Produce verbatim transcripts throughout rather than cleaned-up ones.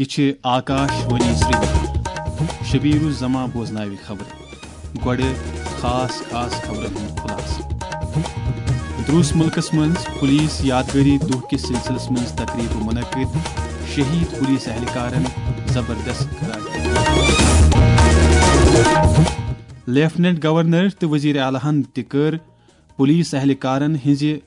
چھِ آکاش وانی سرینگر۔ شبیر الزمان بوزناوِ خبرٕ۔ گۄڈٕ خاص خاص خبرن ہُنٛد خلاصہٕ۔ دروس ملکس منٛز پولیس یادگٲری دۄہ کِس سلسلس منٛز تقریبہٕ منعقد، شہید پولیس اہلکارن زبردست خراج۔ لیفٹیننٹ گورنر تہٕ وزیر اعلیٰ ہن تہِ کٔر پولیس اہلکارن ہٕنٛزِ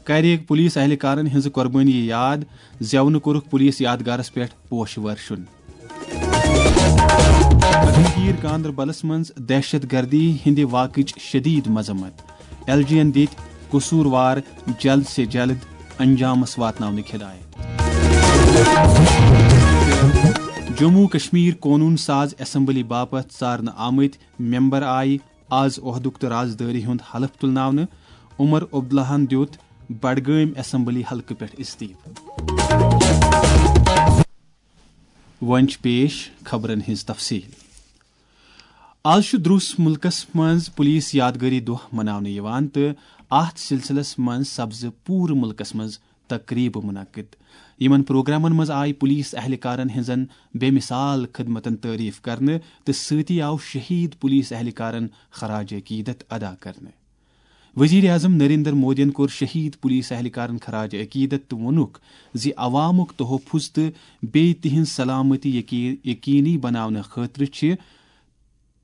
کرِ پولیس اہلکارن ہٕنٛزٕ قۄربٲنی یاد، زٮ۪ونہٕ کوٚرُکھ پولیس یادگارس پٮ۪ٹھ پوشہٕ ورشُن۔ گگنگیر گاندربلس منٛز دہشت گردی ہٕنٛدِ واقعٕچ شدید مذمت، ایل جی ین دِتۍ قصوٗروار جلد سے جلد انجامس واتناونٕکۍ ہدایت۔ جموں کشمیر قونوٗن ساز اسمبلی باپتھ ژارنہٕ آمٕتۍ ممبر آیہِ آز عہدُک تہٕ رازدٲری ہُنٛد حلف تُلناونہٕ۔ عمر عبداللہَن دیُت بڈگٲمۍ اسمبلی حلقہٕ پٮ۪ٹھ استعفہٕ۔ وۄنۍ چھِ پیش خبرن ہٕنٛز تفصیل۔ آز چھُ دروس ملکس منٛز پولیس یادگٲری دۄہ مناونہٕ یِوان تہٕ اتھ سلسلس منٛز سپزٕ پوٗرٕ ملکس منٛز تقریبہٕ منعقد۔ یِمن پروگرامن منٛز آیہِ پولیس اہلکارن ہٕنٛزن بے مثال خدمتن تعریف کرنہٕ تہٕ سۭتی آو شہید پولیس اہلکارن خراج عقیدت ادا کرنہٕ۔ وزیر اعظم نریندر مودیَن کوٚر شہید پولیس اہلکارن خراج عقیدت تہٕ ووٚنُکھ زِ عوامُک تحفظ تہٕ بیٚیہِ تِہنٛز سلامتی یقی-، یقینی بناونہٕ خٲطرٕ چھِ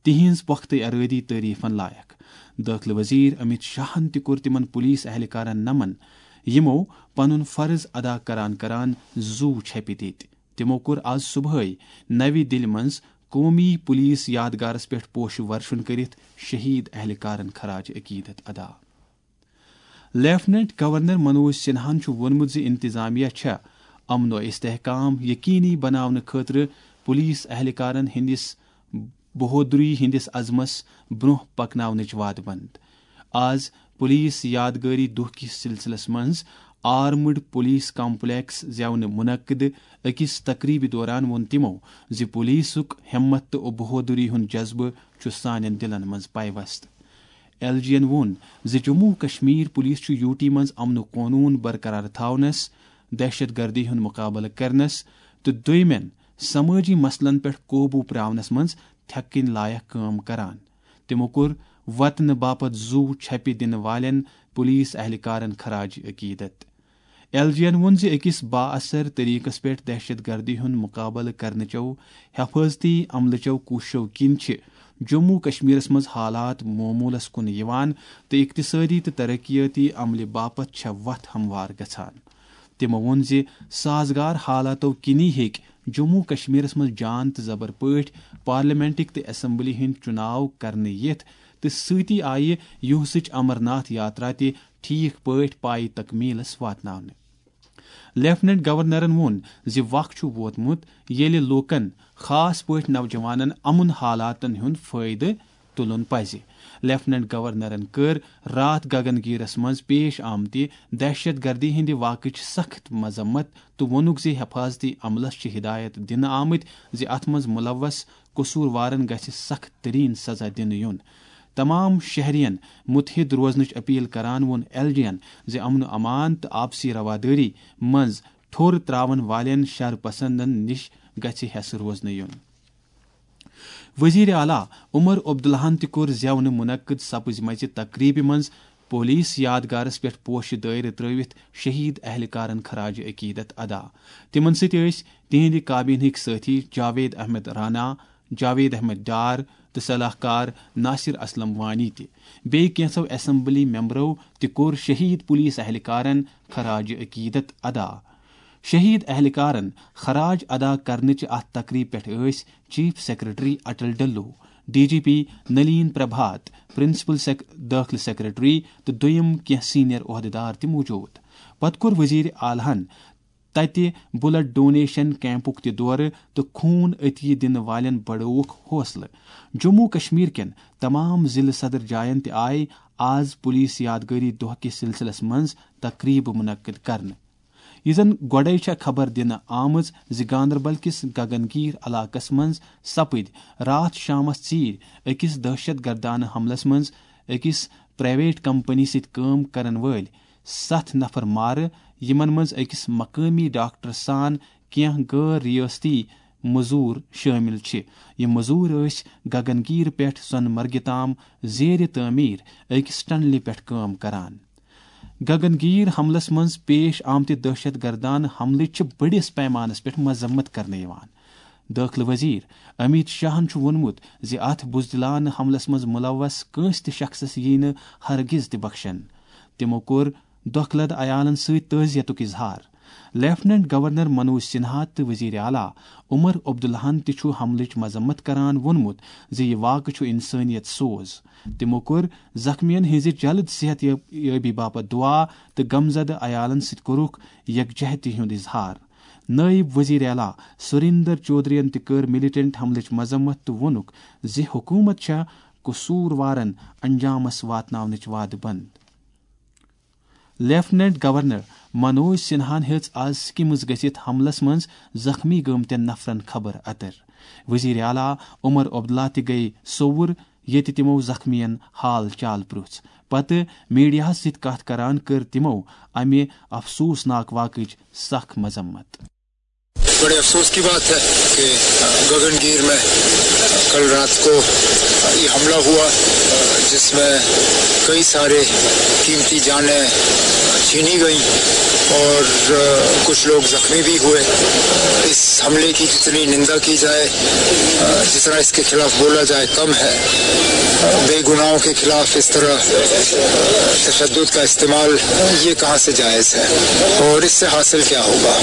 تِہنٛز پۄختہٕ ارٲدی تعریفن لایق۔ دٲخلہٕ وزیر امت شاہن تہِ کوٚر تِمن پولیس اہلکارن نمن، یِمو پنُن فرض ادا کران کران زُو چھپہِ دِتۍ۔ تِمو کوٚر آز صبحٲے نوِ دِلہِ منٛز قومی پولیس یادگارس پٮ۪ٹھ پوشہٕ ورشُن کٔرِتھ شہید اہلکارن خراج عقیدت ادا۔ لیفٹیننٹ گورنر منوج سنہاہن چھُ ووٚنمُت زِ انتظامیہ چھےٚ امن و استحکام یقینی بناونہٕ خٲطرٕ پولیس اہلکارن ہٕنٛدِس بہودری ہٕنٛدِس عزمس برونٛہہ پکناونٕچ وعدٕ بنٛد۔ آز پولیس یادگٲری دۄہ کِس سلسلس منٛز آرمڈ پولیس کمپلیکس زیونہٕ منعقد أکِس تقریبہِ دوران ووٚن تِمو زِ پولیسُک ہمت تہٕ بہودری ہُنٛد جذبہٕ چھُ سانٮ۪ن دِلن منٛز پیوست۔ ایل جی ین ووٚن زِ جموں و کشمیر پولیس چھُ یوٗ ٹی منٛز امن و قونوٗن برقرار تھاونس، دہشت گردی ہُنٛد مقابلہٕ کرنس تہٕ دوٚیمٮ۪ن سمٲجی مسلن پٮ۪ٹھ قوبوٗ پراونس منٛز تھٮ۪کٕنۍ لایق کٲم کران۔ تِمو کوٚر وطنہٕ باپتھ زُو چھپہِ دِنہٕ والٮ۪ن پولیس اہلکارن خراج عقیدت۔ ایل جی ین ووٚن زِ أکِس بااثر طریقس پٮ۪ٹھ دہشت گردی ہُنٛد مقابلہٕ کرنہٕ چٮ۪و حفاظتی عملہٕ چٮ۪و کوٗششو کِنۍ چھِ جموں کشمیرس منٛز حالات معموٗلس کُن یِوان تہٕ اقتصٲدی تہٕ ترقیٲتی عملہِ باپتھ چھےٚ وتھ ہموار گژھان۔ تِمو ووٚن زِ سازگار حالاتو کِنی ہیٚکہِ جموں کشمیرس منٛز جان تہٕ زبر پٲٹھۍ پارلیمنٹٕکۍ تہٕ اسمبلی ہٕنٛدۍ چُناو کرنہٕ یِتھ تہٕ سۭتی آیہِ یُہسٕچ امرناتھ یاترا تہِ ٹھیک پٲٹھۍ پایہِ تکمیلس واتناونہٕ۔ لیفٹیننٹ گورنرن ووٚن زِ وق چھُ ووتمُت ییٚلہِ لوٗکن، خاص پٲٹھۍ نوجوانن، امن حالاتن ہُنٛد فٲیدٕ تُلُن پزِ۔ لیفٹیننٹ گورنرن کٔر راتھ گگن گیرس منٛز پیش آمتہِ دہشت گردی ہٕنٛدِ واقعٕچ سخت مذمت تہٕ ووٚنُکھ زِ حفاظتی عملس چھِ ہدایت دِنہٕ آمٕتۍ زِ اتھ منٛز ملوث قصوٗروارن گژھِ سخت ترین سزا دِنہٕ یُن۔ تمام شہرین متحد روزنٕچ اپیل کران ووٚن ایل جی ین زِ امن و امان تہٕ آپسی روادٲری منٛز ٹھوٚر تراون والٮ۪ن شر پسندن نِش گژھِ ہٮ۪سہٕ روزنہٕ یُن۔ وزیر اعلیٰ عمر عبداللہن تہِ کوٚر زیونہٕ منعقد سپٕزمژِ تقریبہِ منٛز پولیس یادگارس پٮ۪ٹھ پوشہٕ دٲیرٕ ترٲوِتھ شہید اہلکارن خراج عقیدت ادا۔ تِمن سۭتۍ ٲسۍ تِہنٛدِ کابینہٕکۍ سٲتھی جاوید احمد رانا، جاوید احمد ڈار تہٕ صلاح کار ناصر اسلم وانی تہِ۔ بیٚیہِ کینٛژو اسمبلی ممبرو تہِ کوٚر شہید پولیس اہلکارن خراج عقیدت ادا۔ شہید اہلکارن خراج ادا کرنٕچہِ اتھ تقریب پٮ۪ٹھ ٲسۍ chief secretary Atal Dulloo, D G P Nalin Prabhat, principal سیک-، دٲخلہٕ سیکرٹری تہٕ دوٚیم کینٛہہ سینئر عہدیدار تہِ موجود۔ پتہٕ کوٚر وزیر اعلیٰ ہن تتہِ بلڈ ڈونیشن کیمپُک تہِ دورٕ تہٕ خوٗن عطیہ دِنہٕ والٮ۪ن بڑٲوُکھ حوصلہٕ۔ جموں کشمیر کٮ۪ن تمام ضلعہٕ صدر جاین تہِ آیہِ آز پولیس یادگٲری دۄہ کِس سلسلس منٛز تقریبہٕ منعقد کرنہٕ۔ یہِ زن گۄڈے چھےٚ خبر دِنہٕ آمٕژ زِ گاندربل کِس گگن گیٖر علاقس منٛز سپٕدۍ راتھ شامس ژیٖرۍ أکِس دہشت گردانہٕ حملس منٛز أکِس پرائیویٹ کمپنی سۭتۍ کٲم کرن وٲلۍ ستھ نفر مارٕ، یِمن منٛز أکِس مقٲمی ڈاکٹر سان کینٛہہ غٲر ریٲستی مٔزوٗر شٲمِل چھِ۔ یِم مٔزوٗر ٲسۍ گگن گیٖر پٮ۪ٹھ سۄنہٕ مرگہِ تام زیرِ تعمیٖر أکِس ٹنلہِ پٮ۪ٹھ کٲم کران۔ گگن گیٖر حملس منٛز پیش آمتہِ دہشت گردانہٕ حملٕچ چھِ بٔڑِس پیمانس پٮ۪ٹھ مذمت کرنہٕ یِوان۔ دٲخلہٕ وزیر امیت شاہن چھُ ووٚنمُت زِ اتھ بزدلانہٕ حملس منٛز ملوث کٲنٛسہِ تہِ شخصس ییہِ نہٕ ہرگز تہِ بخشن۔ تِمو کوٚر دۄکھٕ لد عیالن سۭتۍ تعزیتُک اظہار۔ لیفٹیننٹ گورنر منوج سنہا تہٕ وزیر اعلیٰ عمر عبداللہن تہِ چھُ حملٕچ مذمت کران ووٚنمُت زِ یہِ واقعہٕ چھُ انسٲنیت سوز۔ تِمو کوٚر زخمیَن ہٕنٛزِ جلد صحت یاب-، یابی باپتھ دعا تہٕ غمزدٕ عیالَن سۭتۍ کوٚرُکھ یکجہتی ہُنٛد اظہار۔ نٲیِب وزیر اعلیٰ سریندر چودھرین تہِ کٔر ملیٹنٹ حملٕچ مذمت تہٕ ووٚنُکھ زِ حکوٗمت چھےٚ قصوٗروارَن انجامَس واتناونٕچ وعدٕ بنٛد۔ لیفٹیننٹ گورنر منوج سنہاہن ہیٚژ آز سکمز گٔژھِتھ حملس منٛز زخمی گٔمتٮ۪ن نفرن خبر اتر۔ وزیر اعلیٰ عمر عبداللہ تہِ گٔیہِ سوٚوُر، ییٚتہِ تِمو زخمیَن حال چال پرُژھ۔ پتہٕ میڈیاہَس سۭتۍ کتھ کران کٔر تِمو امہِ افسوسناک واقعٕچ سخ مذمت۔ بڑے افسوس کی بات ہے کہ گگن گیر میں کل رات کو یہ حملہ ہوا، جس میں کئی سارے قیمتی جانیں چھینی گئیں اور کچھ لوگ زخمی بھی ہوئے۔ اس حملے کی جتنی نندا کی جائے، جتنا اس کے خلاف بولا جائے، کم ہے۔ بے گناہوں کے خلاف اس طرح تشدد کا استعمال، یہ کہاں سے جائز ہے اور اس سے حاصل کیا ہوگا؟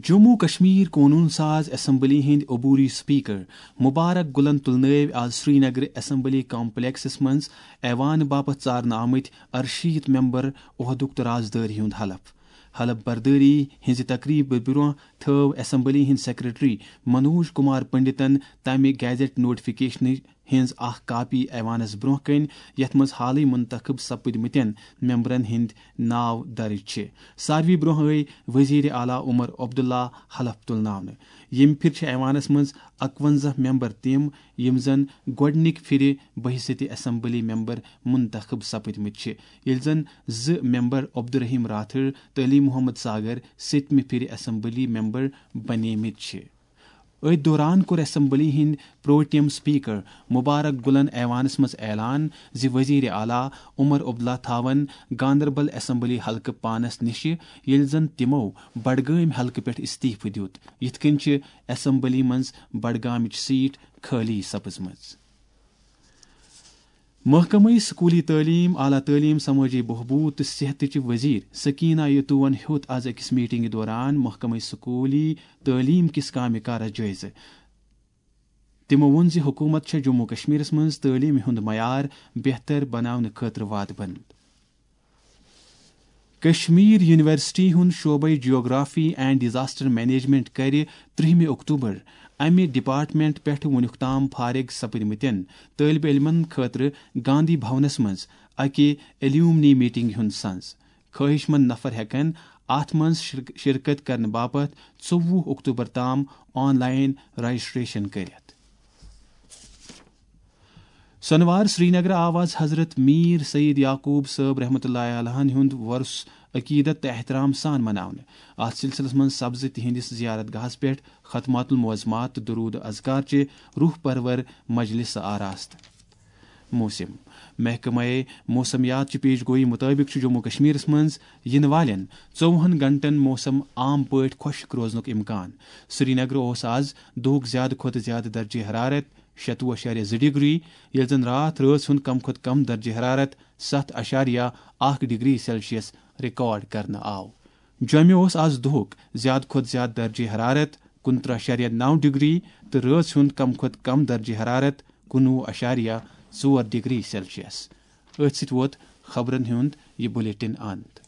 جموں کشمیر قونوٗن ساز اسمبلی ہٕنٛدۍ عبوری سپیکر مبارک گلن تُلنٲوۍ آز سرینگرٕ اسمبلی کمپلیکسس منٛز ایوان باپتھ ژارنہٕ آمٕتۍ ارشیٖتھ ممبر عہدُک تہٕ رازدٲری ہُنٛد حلف۔ حلف بردٲری ہٕنٛزِ تقریبہِ برٛونٛہہ تھٲو اسمبلی ہٕنٛدۍ سیکرٹری منوج کمار پنڈتن تمہِ گیزٹ نوٹیفکیشنٕچ ہٕنٛز اکھ کاپی ایوانس برٛونٛہہ کنہِ، یتھ منٛز حالٕے منتخب سپٕدمٕتٮ۪ن ممبرن ہٕنٛدۍ ناو درج چھِ۔ ساروی برٛونٛہہ ٲے وزیر اعلیٰ عمر عبداللہ حلف تُلناونہٕ۔ ییٚمہِ پھِرِ چھِ ایوانس منٛز اکونزہ ممبر تِم، یِم زن گۄڈٕنِکۍ پھِرِ بحیثیت اسمبلی ممبر منتخب سپٕدمٕتۍ چھِ، ییٚلہِ زن زٕ ممبر عبدالرحیم راتھر تہٕ علی محمد ساگر سٔتمہِ پھِرِ اسمبلی ممبر بنیمٕتۍ چھِ۔ أتھۍ دوران کوٚر اسمبلی ہٕنٛدۍ پروٹیم سپیکر مبارک گلن ایوانس منٛز اعلان زِ وزیر اعلیٰ عمر عبداللہ تھاون گاندربل اسمبلی حلقہٕ پانس نِشہِ، ییٚلہِ زن تِمو بڈگٲمۍ حلقہٕ پٮ۪ٹھ استعفہٕ دیُت۔ یِتھ کٔنۍ چھِ اسمبلی منٛز بڈگامٕچ سیٹ خٲلی سپٕزمٕژ۔ محکمہٕ سکوٗلی تعلیٖم، اعلیٰ تعلیٖم، سمٲجی بہبود تہٕ صحتٕچ وزیر سکینہ یتوٗون ہیوٚت آز أکِس میٹنگہِ دوران محکمہٕ سکوٗلی تعلیٖم کِس کامہِ کارس جٲیزٕ۔ تِمو ووٚن زِ حکوٗمت چھےٚ جموں کشمیرس منٛز تعلیٖمہِ ہُنٛد معیار بہتر بناونہٕ خٲطرٕ وادٕ بنٛد۔ کشمیر یونیورسٹی ہُنٛد شعبے جیوگرافی اینڈ ڈیزاسٹر مینجمنٹ کَرِ ترٛہمہِ اکتوبر امہِ ڈپارٹمنٹ پٮ۪ٹھ وُنیُک تام فارغ سپدمٕتٮ۪ن طٲلبہِ علمن خٲطرٕ گاندھی بھونس منٛز اکہِ ایلیومنی میٹنگ ہُنٛد سنز۔ خٲہِش مند نفر ہٮ۪کن اتھ منٛز شرک-، شرکت کرنہٕ باپتھ ژوٚوُہ اکتوبر تام آن لائن رجسٹریشن کٔرِتھ۔ سۄنوار سرینگرٕ آو آز حضرت میر سید یعقوب صٲب رحمتہ اللہ علیہن ہُنٛد وۄرُس عقیدت تہٕ احترام سان مناونہٕ۔ اتھ سلسلس منٛز سپزٕ تِہنٛدِس زیارت گاہس پٮ۪ٹھ ختمات المعظمات تہٕ درود اذکار چہِ روح پرور مجلس آراستہٕ۔ موسم۔ محکمہ موسمیات چہِ پیش گوئی مطٲبق چھُ جموں کشمیرس منٛز یِنہٕ والٮ۪ن ژوٚوُہن گھنٹن موسم عام پٲٹھۍ خۄشک روزنُک امکان۔ سرینگرٕ اوس آز دُہُک زیادٕ کھۄتہٕ زیادٕ درجہ حرارت شتوُہ اعشاریہ زٕ ڈگری، ییٚلہِ زن راتھ رٲژ ہُنٛد کم کھۄتہٕ کم درجہ حرارت ستھ اعشاریہ اکھ ڈگری سیلسیس ریکارڈ کرنہٕ آو۔ جوٚمہِ اوس آز دُہُک زیادٕ کھۄتہٕ زیادٕ درجہ حرارت کُنترٕہ اعشاریہ نو ڈگری تہٕ رٲژ ہُنٛد کم کھۄتہٕ کم درجہ حرارت کُنوُہ اعشاریہ ژور ڈگری سیلسیس۔ أتھۍ سۭتۍ ووت خبرن ہُنٛد یہِ بلیٹن اند۔